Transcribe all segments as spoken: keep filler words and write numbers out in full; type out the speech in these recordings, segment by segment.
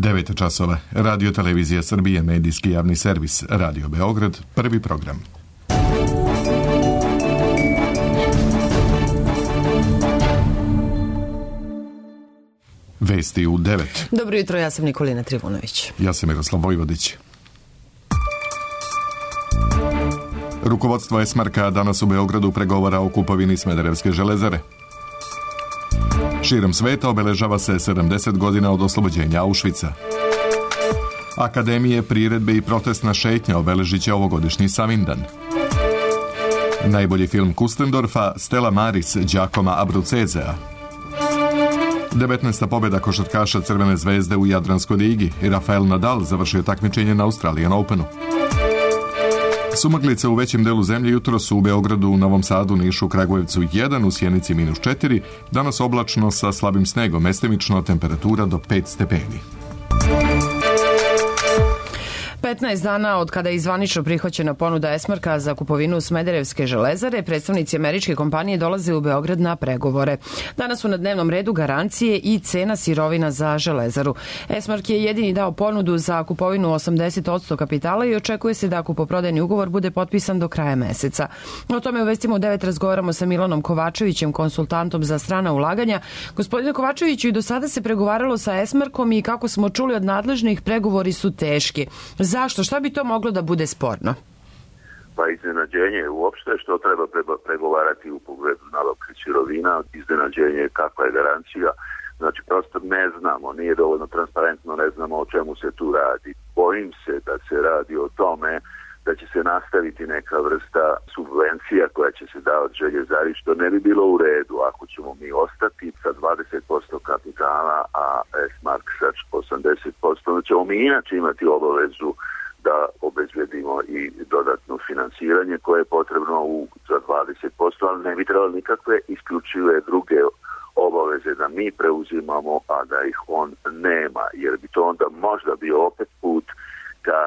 devet časova. Radio Televizija Srbije, medijski javni servis, Radio Beograd, prvi program. Vesti u devet. Dobro jutro, ja sam Nikolina Trivunović. Ja sam Miroslav Vojvodić. Rukovodstvo Esmarka danas u Beogradu pregovara o kupovini Smederevske železare. Širom sveta obeležava se sedamdeset godina od oslobođenja Auschwitza. Akademije, priredbe i protestna šetnja obeležit će ovogodišnji Savindan. Najbolji film Kustendorfa, Stella Maris, Giacomo Abruzzesea. devetnaesta pobjeda košarkaša Crvene zvezde u Jadranskoj ligi i Rafael Nadal završio takmičenje na Australian Openu. Sumaglice u većem delu zemlje jutro su u Beogradu, Novom Sadu, Nišu, Kragujevcu jedan, u Sjenici minus četiri, danas oblačno sa slabim snegom, mestimično temperatura do pet stepeni. petnaest dana od kada je zvanično prihvaćena ponuda Esmarka za kupovinu Smederevske železare, predstavnici američke kompanije dolaze u Beograd na pregovore. Danas su na dnevnom redu garancije i cena sirovina za železaru. Esmark je jedini dao ponudu za kupovinu osamdeset posto kapitala i očekuje se da kupoprodajni ugovor bude potpisan do kraja meseca. O tome u Vestima u devet razgovaramo sa Milanom Kovačevićem, konsultantom za strana ulaganja. Gospodine Kovačeviću, i do sada se pregovaralo sa Esmarkom i kako smo čuli od nadležnih, pregovori su teški. Zašto? Šta bi to moglo da bude sporno? Pa iznenađenje uopšte što treba pregovarati u pogledu nabavke sirovina, iznenađenje kakva je garancija, znači prosto ne znamo, nije dovoljno transparentno, ne znamo o čemu se tu radi. Bojim se da se radi o tome da će se nastaviti neka vrsta subvencija koja će se davati željezari, što ne bi bilo u redu ako ćemo mi ostati sa dvadeset posto kapitala, a Esmark sa osamdeset posto, onda ćemo mi inače imati obavezu da obezbedimo i dodatno finansiranje koje je potrebno u, za dvadeset posto, ali ne bi trebalo nikakve isključive druge obaveze da mi preuzimamo, a da ih on nema, jer bi to onda možda bio opet put ka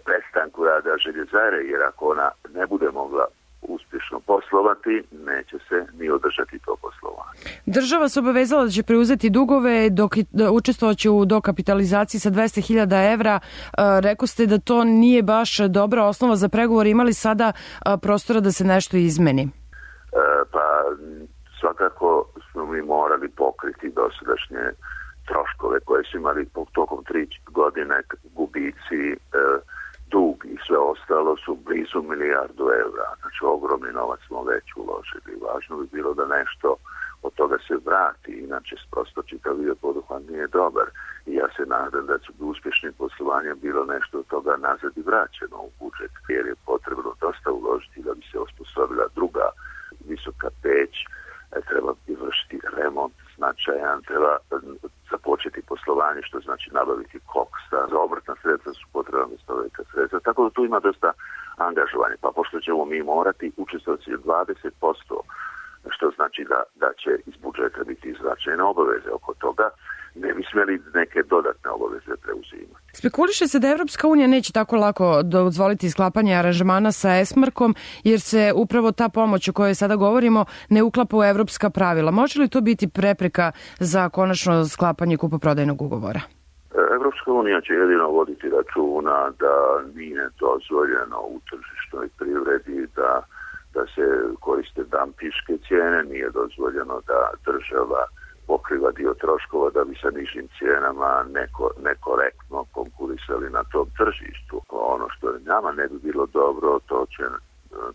prestanku rada željezare, jer ako ona ne bude mogla uspješno poslovati, neće se ni održati to poslovanje. Država se obavezala da će preuzeti dugove, dok učestvovaće u dokapitalizaciji sa dvesta hiljada evra. Rekao ste da to nije baš dobra osnova za pregovor. Imali sada prostora da se nešto izmeni? E, pa svakako smo mi morali pokriti dosadašnje troškove koje su imali tokom tri godine, gubici, e, dug i sve ostalo su blizu milijardu evra. Znači ogromni novac smo već uložili. Važno bi bilo da nešto od toga se vrati, inače prosto čitav video poduhvat nije dobar. I ja se nadam da će bi uspješnim poslovanjem bilo nešto od toga nazad i vraćeno u budžet, jer je potrebno dosta uložiti da bi se osposobila druga visoka peć, treba vršiti remont značajan, treba započeti poslovanje, što znači nabaviti koksa, za obrtna sredstva su potrebna dosta velika sredstva, tako da tu ima dosta angažovanja, pa pošto ćemo mi morati učestvovati dvadeset posto, što znači da, da će iz budžeta biti značajne obaveze oko toga, ne bi smjeli neke dodatne obaveze preuzimati. Spekuliše se da Evropska unija neće tako lako dozvoliti sklapanje aranžmana sa Esmarkom, jer se upravo ta pomoć o kojoj sada govorimo ne uklapa u evropska pravila. Može li to biti prepreka za konačno sklapanje kupoprodajnog ugovora? Evropska unija će jedino voditi računa da nije dozvoljeno u tržišnoj privredi da, da se koriste dampiške cijene, nije dozvoljeno da država pokriva dio troškova da bi sa nižim cijenama neko, nekorektno konkurisali na tom tržištu. Ono što nama ne bi bilo dobro, to će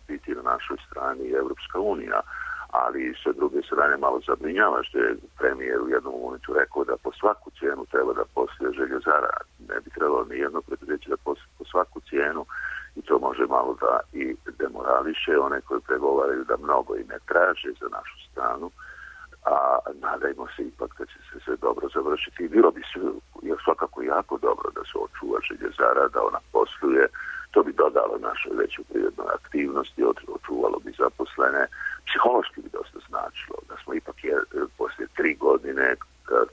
biti na našoj strani Evropska unija, ali sa druge strane malo zabrinjava što je premijer u jednom momentu rekao da po svaku cijenu treba da posluje željezara. Ne bi trebalo ni jedno preduzeće da posluje po svaku cijenu i to može malo da i demorališe one koji pregovaraju da mnogo i ne traže za našu stranu, a nadajmo se ipak da će se sve dobro završiti i bilo bi sve svakako jako dobro da se očuva željezara, da ona posluje, to bi dodalo našoj većoj privrednoj aktivnosti, očuvalo bi zaposlene, psihološki bi dosta značilo da smo ipak je, poslije tri godine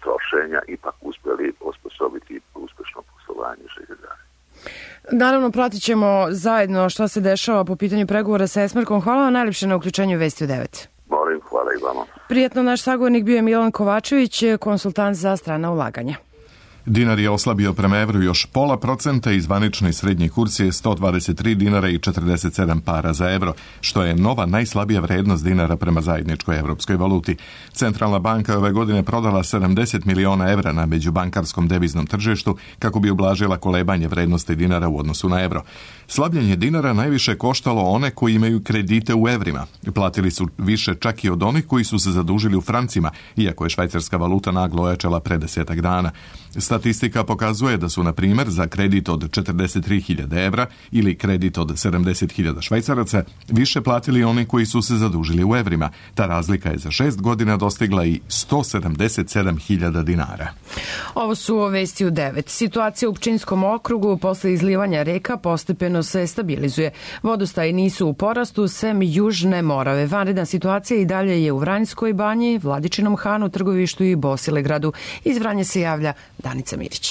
trošenja ipak uspjeli osposobiti uspješno poslovanje željezare. Naravno, pratit ćemo zajedno šta se dešava po pitanju pregovora sa Esmarkom. Hvala vam najljepše na uključenju Vesti u devet. Molim, hvala i vama. Prijetno, naš sagovornik bio je Milan Kovačević, konsultant za strana ulaganja. Dinar je oslabio prema evru još pola procenta i zvanični srednji kurs je sto dvadeset tri dinara i četrdeset sedam para za evro, što je nova najslabija vrednost dinara prema zajedničkoj evropskoj valuti. Centralna banka je ove godine prodala sedamdeset miliona evra na međubankarskom deviznom tržištu kako bi ublažila kolebanje vrednosti dinara u odnosu na evro. Slabljenje dinara najviše koštalo one koji imaju kredite u evrima. Platili su više čak i od onih koji su se zadužili u francima, iako je švajcarska valuta naglo ojačala pre desetak dana. Statistika pokazuje da su, na primjer, za kredit od četrdeset tri hiljade evra ili kredit od sedamdeset hiljada švajcaraca više platili oni koji su se zadužili u evrima. Ta razlika je za šest godina dostigla i sto sedamdeset sedam hiljada dinara. Ovo su vesti u devet. Situacija u Pčinjskom okrugu posle izlivanja reka postepeno se stabilizuje. Vodostaji nisu u porastu, sem Južne Morave. Vanredna situacija i dalje je u Vranjskoj banji, Vladičinom Hanu, Trgovištu i Bosilegradu. Iz Vranja se javlja Danica Mirić.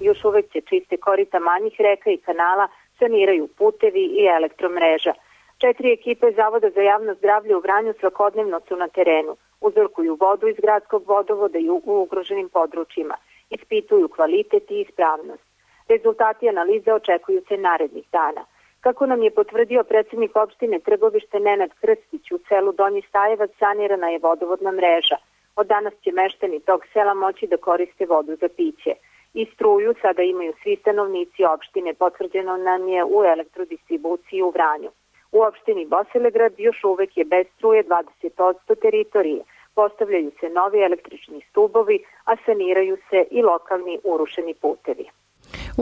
Još uvek se čiste korita manjih reka i kanala, saniraju putevi i elektromreža. Četiri ekipe Zavoda za javno zdravlje u Vranju svakodnevno su na terenu. Uzorkuju vodu iz gradskog vodovoda i u ugroženim područjima. Ispituju kvalitet i ispravnost. Rezultati analize očekuju se narednih dana. Kako nam je potvrdio predsjednik opštine Trgovište Nenad Krstić, u selu Donji Stajevac sanirana je vodovodna mreža. Od danas će meštani tog sela moći da koriste vodu za piće. I struju sada imaju svi stanovnici opštine, potvrđeno nam je u elektrodistribuciji u Vranju. U opštini Bosilegrad još uvek je bez struje dvadeset posto teritorije. Postavljaju se novi električni stubovi, a saniraju se i lokalni urušeni putevi.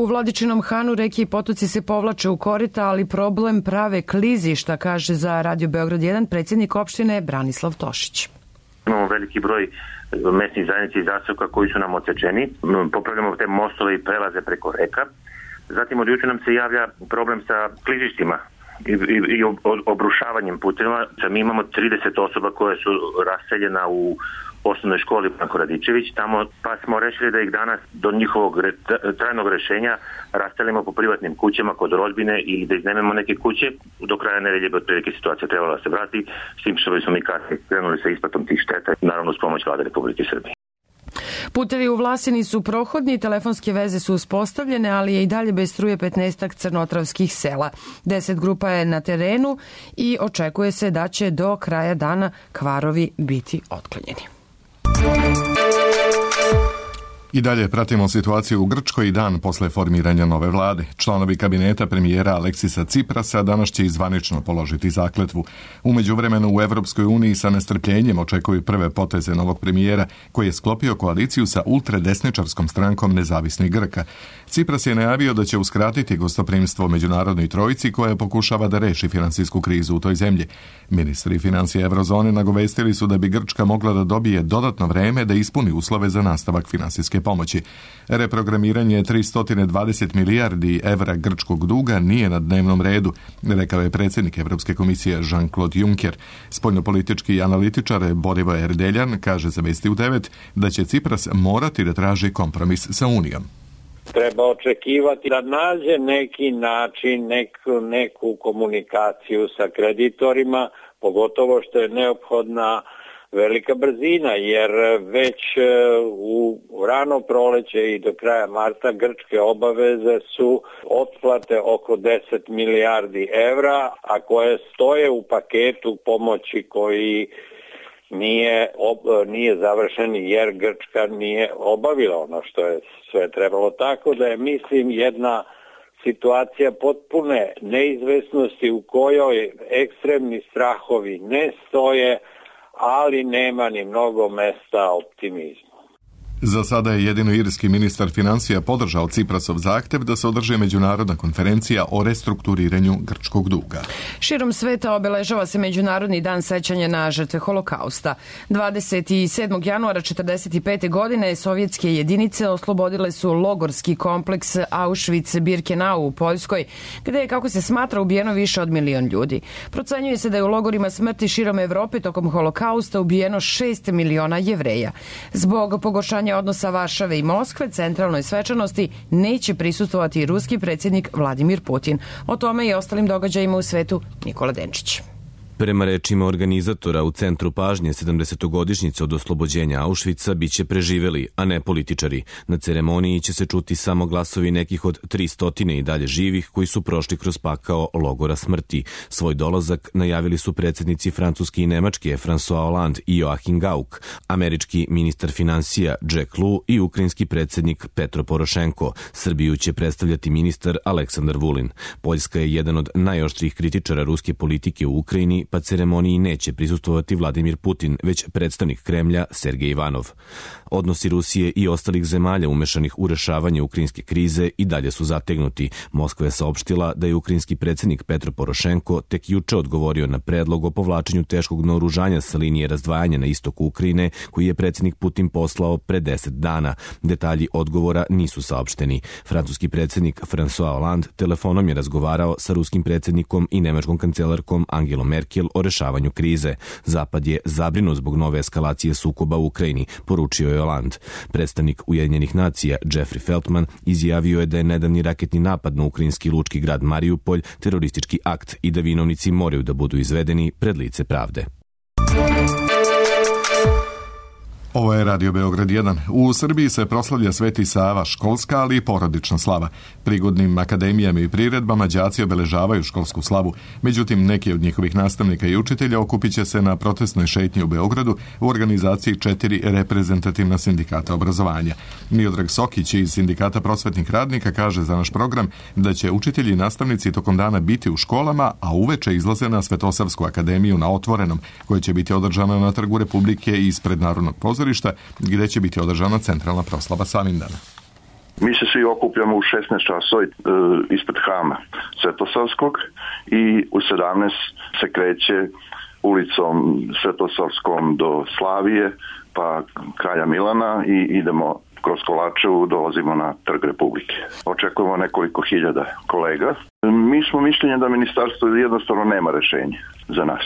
U Vladičinom Hanu reke i potoci se povlače u korita, ali problem prave klizišta, kaže za Radio Beograd jedan predsjednik opštine Branislav Tošić. Imamo veliki broj mesnih zajednica i zaseoka koji su nam odsečeni. Popravljamo te mostove i prelaze preko reka. Zatim od juče nam se javlja problem sa klizištima i, i, i obrušavanjem puteva. Mi imamo trideset osoba koje su raseljena u osnovnoj školi Branko Radičević, tamo pa smo rešili da ih danas do njihovog re, trajnog rešenja rastelimo po privatnim kućama kod rodbine ili da iznajmimo neke kuće. Do kraja nedelje bi otprilike situacija trebala da se vrati, s tim što smo mi kasnije krenuli sa isplatom tih šteta, naravno uz pomoć Vlade Republike Srbije. Putevi u Vlasini su prohodni, telefonske veze su uspostavljene, ali je i dalje bez struje petnaestak crnotravskih sela. Deset grupa je na terenu i očekuje se da će do kraja dana kvarovi biti otklonjeni. I dalje pratimo situaciju u Grčkoj i dan posle formiranja nove vlade. Članovi kabineta premijera Aleksisa Ciprasa danas će zvanično položiti zakletvu. U međuvremenu u Evropskoj uniji sa nestrpljenjem očekuju prve poteze novog premijera koji je sklopio koaliciju sa ultradesničarskom strankom Nezavisnih Grka. Cipras je najavio da će uskratiti gostoprimstvo međunarodnoj trojici koja pokušava da reši finansijsku krizu u toj zemlji. Ministri financija Evrozone nagovestili su da bi Grčka mogla da dobije dodatno vreme da ispuni uslove za nastavak finansijske pomoći. Reprogramiranje tristo dvadeset milijardi evra grčkog duga nije na dnevnom redu, rekao je predsjednik Evropske komisije Jean-Claude Juncker. Spoljnopolitički analitičar Borivo Erdeljan kaže za Vesti u devet da će Cipras morati da traži kompromis sa Unijom. Treba očekivati da nađe neki način, neku, neku komunikaciju sa kreditorima, pogotovo što je neophodna velika brzina, jer već u rano proleće i do kraja marta grčke obaveze su otplate oko deset milijardi evra, a koje stoje u paketu pomoći koji nije, ob, nije završen jer Grčka nije obavila ono što je sve trebalo. Tako da je, mislim, jedna situacija potpune neizvesnosti u kojoj ekstremni strahovi ne stoje, ali nema ni mnogo mesta optimizmu. Za sada je jedino irski ministar financija podržao Ciprasov zahtev da se održi međunarodna konferencija o restrukturiranju grčkog duga. Širom sveta obeležava se Međunarodni dan sećanja na žrtve Holokausta. dvadeset sedmog januara četrdeset pete. godine sovjetske jedinice oslobodile su logorski kompleks Auschwitz-Birkenau u Poljskoj, gde je, kako se smatra, ubijeno više od milion ljudi. Procenjuje se da je u logorima smrti širom Evrope tokom Holokausta ubijeno šest miliona Jevreja. Zbog pogoršanja odnosa Varšave i Moskve centralnoj svečanosti neće prisustvovati i ruski predsjednik Vladimir Putin. O tome i ostalim događajima u svetu Nikola Denčić. Prema rečima organizatora, u centru pažnje sedamdesetogodišnjice od oslobođenja Auschwitza biće preživeli, a ne političari. Na ceremoniji će se čuti samo glasovi nekih od tristotine i dalje živih koji su prošli kroz pakao logora smrti. Svoj dolazak najavili su predsjednici Francuske i Nemačke François Hollande i Joachim Gauck, američki ministar financija Jack Lew i ukrajinski predsjednik Petro Porošenko. Srbiju će predstavljati ministar Aleksandar Vulin. Poljska je jedan od najoštrijih kritičara ruske politike u Ukrajini, pa ceremoniji neće prisustvovati Vladimir Putin, već predstavnik Kremlja Sergej Ivanov. Odnosi Rusije i ostalih zemalja umešanih u rešavanje ukrajinske krize i dalje su zategnuti. Moskva je saopštila da je ukrajinski predsjednik Petro Porošenko tek juče odgovorio na predlog o povlačenju teškog naoružanja sa linije razdvajanja na istoku Ukrajine, koji je predsjednik Putin poslao pre deset dana. Detalji odgovora nisu saopšteni. Francuski predsjednik François Hollande telefonom je razgovarao sa ruskim predsjednikom i nemačkom kancelarkom Angelom Merkel o rešavanju krize. Zapad je zabrinut zbog nove eskalacije sukoba u Ukrajini, poručio je Hollande. Predstavnik Ujedinjenih nacija Jeffrey Feltman izjavio je da je nedavni raketni napad na ukrajinski lučki grad Mariupolj teroristički akt i da vinovnici moraju da budu izvedeni pred lice pravde. Ovo je Radio Beograd jedan. U Srbiji se proslavlja Sveti Sava, školska, ali i porodična slava. Prigodnim akademijama i priredbama đaci obeležavaju školsku slavu. Međutim, neki od njihovih nastavnika i učitelja okupit će se na protestnoj šetnji u Beogradu u organizaciji četiri reprezentativna sindikata obrazovanja. Miodrag Sokić iz Sindikata prosvetnih radnika kaže za naš program da će učitelji i nastavnici tokom dana biti u školama, a uveče izlaze na Svetosavsku akademiju na Otvorenom, koja će biti održana na Trgu Republike ispred Narodnog pozorišta, gdje će biti održana centralna proslava Savindana. Mi se svi okupljamo u šesnaest časova ispred hrama Svetosavskog i u sedamnaest se kreće ulicom Svetosavskom do Slavije, pa Kralja Milana i idemo kroz Kolačevu, dolazimo na Trg Republike. Očekujemo nekoliko hiljada kolega. Mi smo mišljenja da ministarstvo jednostavno nema rešenja za nas.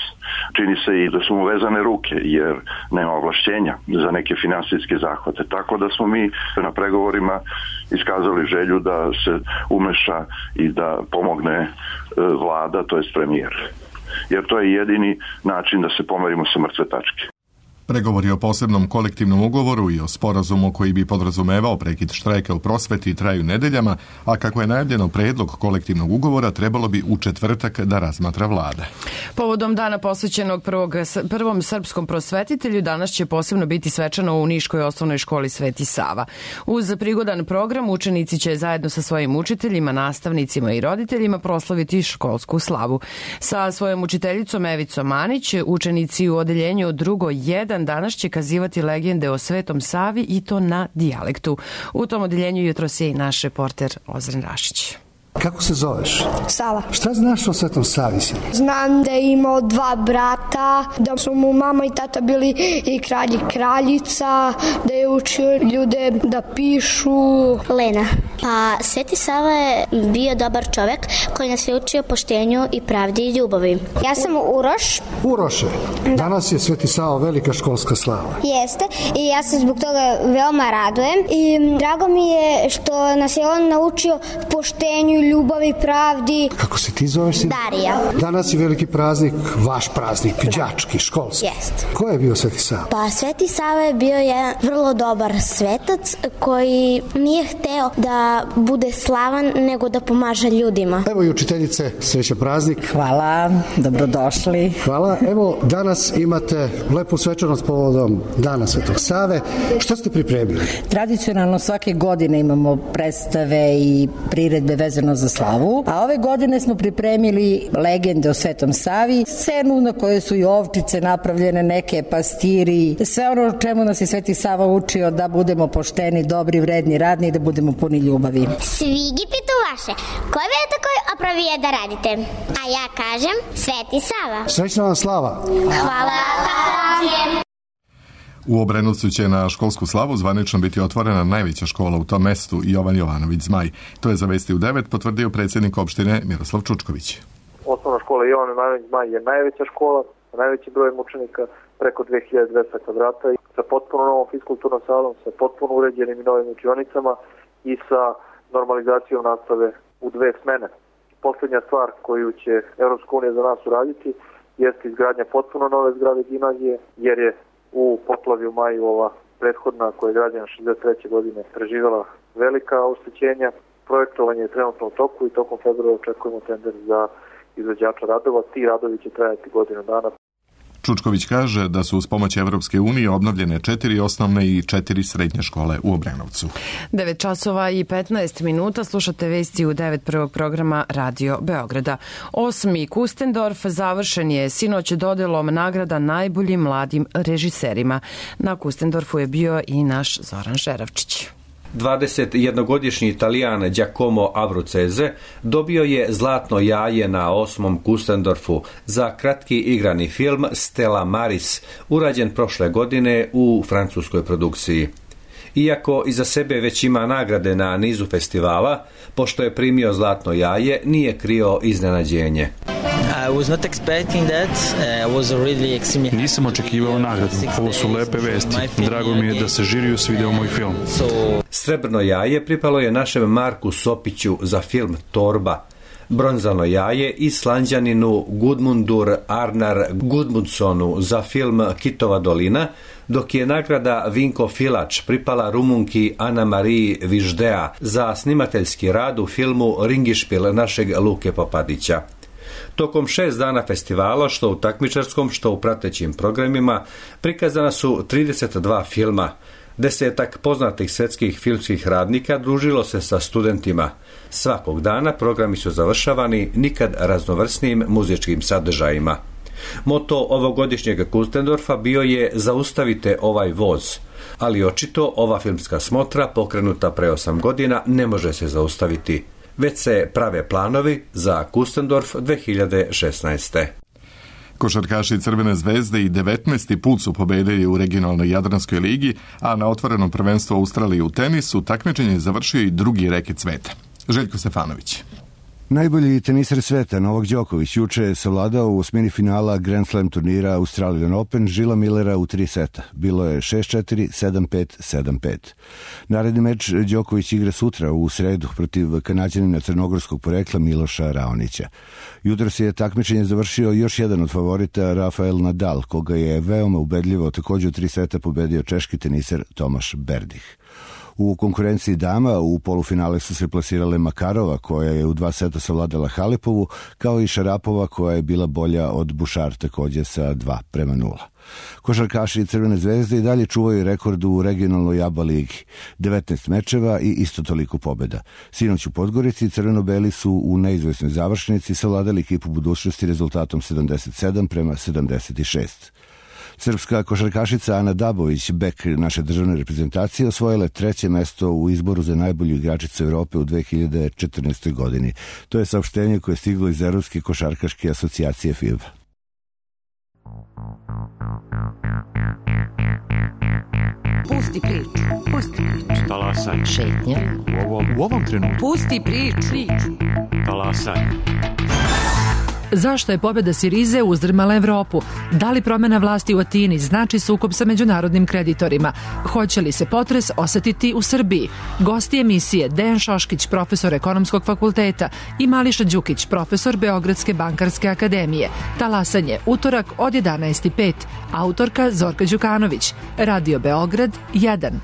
Čini se i da su mu vezane ruke, jer nema ovlašćenja za neke finansijske zahvate. Tako da smo mi na pregovorima iskazali želju da se umeša i da pomogne vlada, to jest premijer. Jer to je jedini način da se pomerimo sa mrtve tačke. Pregovori o posebnom kolektivnom ugovoru i o sporazumu koji bi podrazumevao prekid štrajka u prosveti traju nedeljama, a kako je najavljeno predlog kolektivnog ugovora trebalo bi u četvrtak da razmatra vlada. Povodom dana posvećenog prvog, prvom srpskom prosvetitelju danas će posebno biti svečano u Niškoj osnovnoj školi Sveti Sava. Uz prigodan program učenici će zajedno sa svojim učiteljima, nastavnicima i roditeljima proslaviti školsku slavu. Sa svojom učiteljicom Evicom Manić učenici u odeljenju drugo jedan danas će kazivati legende o Svetom Savi i to na dijalektu. U tom odeljenju jutros je i naš reporter Ozren Rašić. Kako se zoveš? Sava. Šta znaš o Svetom Savi? Znam da je imao dva brata, da su mu mama i tata bili i kralj i kraljica, da je učio ljude da pišu. Lena. Pa Sveti Sava je bio dobar čovek koji nas je učio poštenju i pravdi i ljubavi. Ja sam Uroš. Uroše, danas je Sveti Sava velika školska slava. Jeste i ja se zbog toga veoma radujem i drago mi je što nas je on naučio poštenju, ljubavi, pravdi. Kako se ti zoveš? Darija. Danas je veliki praznik, vaš praznik, đački, školski. Jest. Ko je bio Sveti Sava? Pa Sveti Sava je bio jedan vrlo dobar svetac koji nije hteo da bude slavan, nego da pomaže ljudima. Evo i učiteljice, srećan praznik. Hvala, dobrodošli. Hvala. Evo, danas imate lepu svečanost povodom Dana Svetog Save. Šta ste pripremili? Tradicionalno svake godine imamo predstave i priredbe vezano za slavu, a ove godine smo pripremili legende o Svetom Savi, scenu na kojoj su i ovčice napravljene, neke pastiri, sve ono čemu nas je Sveti Sava učio da budemo pošteni, dobri, vredni, radni i da budemo puni ljubavi. Svigi pitu vaše, koje vi takoj opravije da radite? A ja kažem Sveti Sava. Srećna vam slava. Hvala. U Obrenovcu će na školsku slavu zvanično biti otvorena najveća škola u tom mestu, Jovan Jovanović Zmaj. To je za Vesti u devet potvrdio predsjednik opštine Miroslav Čučković. Osnovna škola Jovan Jovanović Zmaj je najveća škola, sa najvećim brojem učenika, preko dve hiljade dvesta kvadrata, i sa potpuno novom fiskulturnom salom, sa potpuno uređenim i novim učionicama i sa normalizacijom nastave u dve smene. Posljednja stvar koju će Evropska unija za nas uraditi jeste izgradnja potpuno nove zgrade gimnazije, jer je u poplavi u maju ova prethodna koja je građena šezdeset treće godine preživjela velika oštećenja. Projektovanje je trenutno u toku i tokom februara očekujemo tender za izvođača radova. Ti radovi će trajati godinu dana. Čučković kaže da su uz pomoć Evropske unije obnovljene četiri osnovne i četiri srednje škole u Obrenovcu. devet časova i petnaest minuta, slušate vesti u devet prvog programa Radio Beograda. Osmi Kustendorf završen je sinoć dodelom nagrada najboljim mladim režiserima. Na Kustendorfu je bio i naš Zoran Žeravčić. dvadesetjednogodišnji Italijan Giacomo Abruzzese dobio je zlatno jaje na osmom Kustendorfu za kratki igrani film Stella Maris, urađen prošle godine u francuskoj produkciji. Iako iza sebe već ima nagrade na nizu festivala, pošto je primio zlatno jaje, nije krio iznenađenje. Nisam očekivao nagradu. Ovo su lepe vesti. Drago mi je da se žiriju svideo moj film. Srebrno jaje pripalo je našem Marku Sopiću za film Torba. Bronzano jaje Islanđaninu Gudmundur Arnar Gudmundsonu za film Kitova dolina, dok je nagrada Vinko Filač pripala Rumunki Ana Mariji Viždea za snimateljski rad u filmu Ringišpil našeg Luke Popadića. Tokom šest dana festivala, što u takmičarskom, što u pratećim programima, prikazana su trideset dva filma. Desetak poznatih svjetskih filmskih radnika družilo se sa studentima. Svakog dana programi su završavani nikad raznovrsnim muzičkim sadržajima. Moto ovogodišnjeg Kustendorfa bio je Zaustavite ovaj voz, ali očito ova filmska smotra, pokrenuta pre osam godina, ne može se zaustaviti. Već se prave planovi za Kustendorf dve hiljade šesnaeste. Košarkaši Crvene zvezde i devetnaesti put su pobedili u regionalnoj Jadranskoj ligi, a na otvorenom prvenstvu Australije u tenisu takmičenje je završio i drugi reket sveta. Željko Stefanović. Najbolji teniser sveta Novak Đoković juče je savladao u osmini finala Grand Slam turnira Australian Open Žila Millera u tri seta. Bilo je šest četiri, sedam pet, sedam pet. Naredni meč Đoković igra sutra u sredu protiv Kanađanina crnogorskog porekla Miloša Raonića. Jutros je takmičenje završio još jedan od favorita Rafael Nadal, koga je veoma ubedljivo također u tri seta pobedio češki teniser Tomaš Berdih. U konkurenciji dama u polufinale su se plasirale Makarova, koja je u dva seta savladala Halepovu, kao i Šarapova, koja je bila bolja od Bušar, također sa dva prema nula. Košarkaši Crvene zvezde i dalje čuvaju rekord u regionalnoj A B A ligi. devetnaest mečeva i isto toliko pobjeda. Sinoć u Podgorici crveno-beli su u neizvesnoj završnici savladali ekipu budućnosti rezultatom sedamdeset sedam prema sedamdeset šest. Srpska košarkašica Ana Dabović, bek naše državne reprezentacije, osvojila je treće mesto u izboru za najbolju igračicu Evrope u dve hiljade četrnaestoj godini. To je saopštenje koje je stiglo iz Evropske košarkaške asocijacije F I B A. Pusti priču, pusti priču. Talasaj. Šetnja. U ovom, u ovom trenutku. Pusti priču. priču. Talasaj. Zašto je pobjeda Sirize uzdrmala Evropu? Da li promjena vlasti u Atini znači sukob sa međunarodnim kreditorima? Hoće li se potres osetiti u Srbiji? Gosti emisije Dejan Šoškić, profesor Ekonomskog fakulteta, i Mališa Đukić, profesor Beogradske bankarske akademije. Talasanje, utorak od jedanaest i pet. Autorka Zorka Đukanović. Radio Beograd jedan.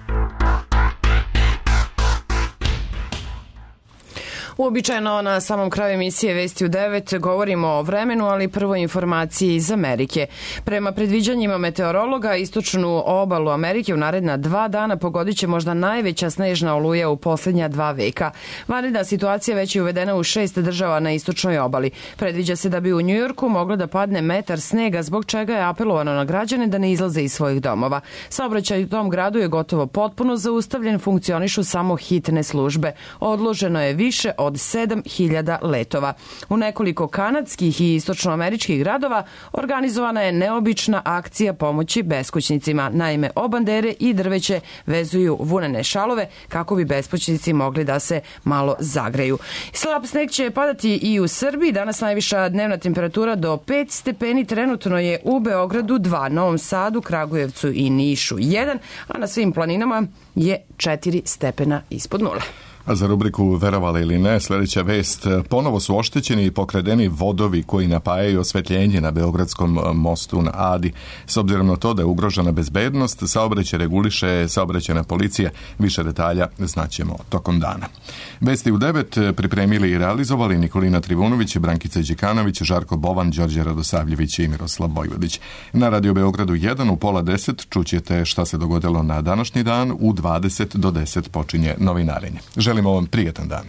Uobičajeno na samom kraju emisije Vesti u devet govorimo o vremenu, ali prvo informacije iz Amerike. Prema predviđanjima meteorologa, istočnu obalu Amerike u naredna dva dana pogodit će možda najveća snežna oluja u posljednja dva veka. Vanredna situacija već je uvedena u šest država na istočnoj obali. Predviđa se da bi u Njujorku moglo da padne metar snega, zbog čega je apelovano na građane da ne izlaze iz svojih domova. Saobraćaj u tom gradu je gotovo potpuno zaustavljen, funkcionišu samo hitne službe. Odloženo je više od sedam hiljada letova. U nekoliko kanadskih i istočnoameričkih gradova organizovana je neobična akcija pomoći beskućnicima. Naime, obandere i drveće vezuju vunene šalove kako bi beskućnici mogli da se malo zagreju. Slab sneg će padati i u Srbiji. Danas najviša dnevna temperatura do pet stepeni. Trenutno je u Beogradu dva, Novom Sadu, Kragujevcu i Nišu jedan, a na svim planinama je četiri stepena ispod nule. A za rubriku Verovali ili ne, sljedeća vest. Ponovo su oštećeni i pokradeni vodovi koji napajaju osvetljenje na Beogradskom mostu na Adi. S obzirom na to da je ugrožena bezbednost, saobraćaj reguliše saobraćajna policija. Više detalja znaćemo tokom dana. Vesti u devet pripremili i realizovali Nikolina Trivunović, Brankica Đekanović, Žarko Bovan, Đorđe Radosavljević i Miroslav Bojvodić. Na Radio Beogradu jedan u pola deset čućete šta se dogodilo na današnji dan. U dvadeset do deset počinje novinarenje. Želimo vam prijetan dan.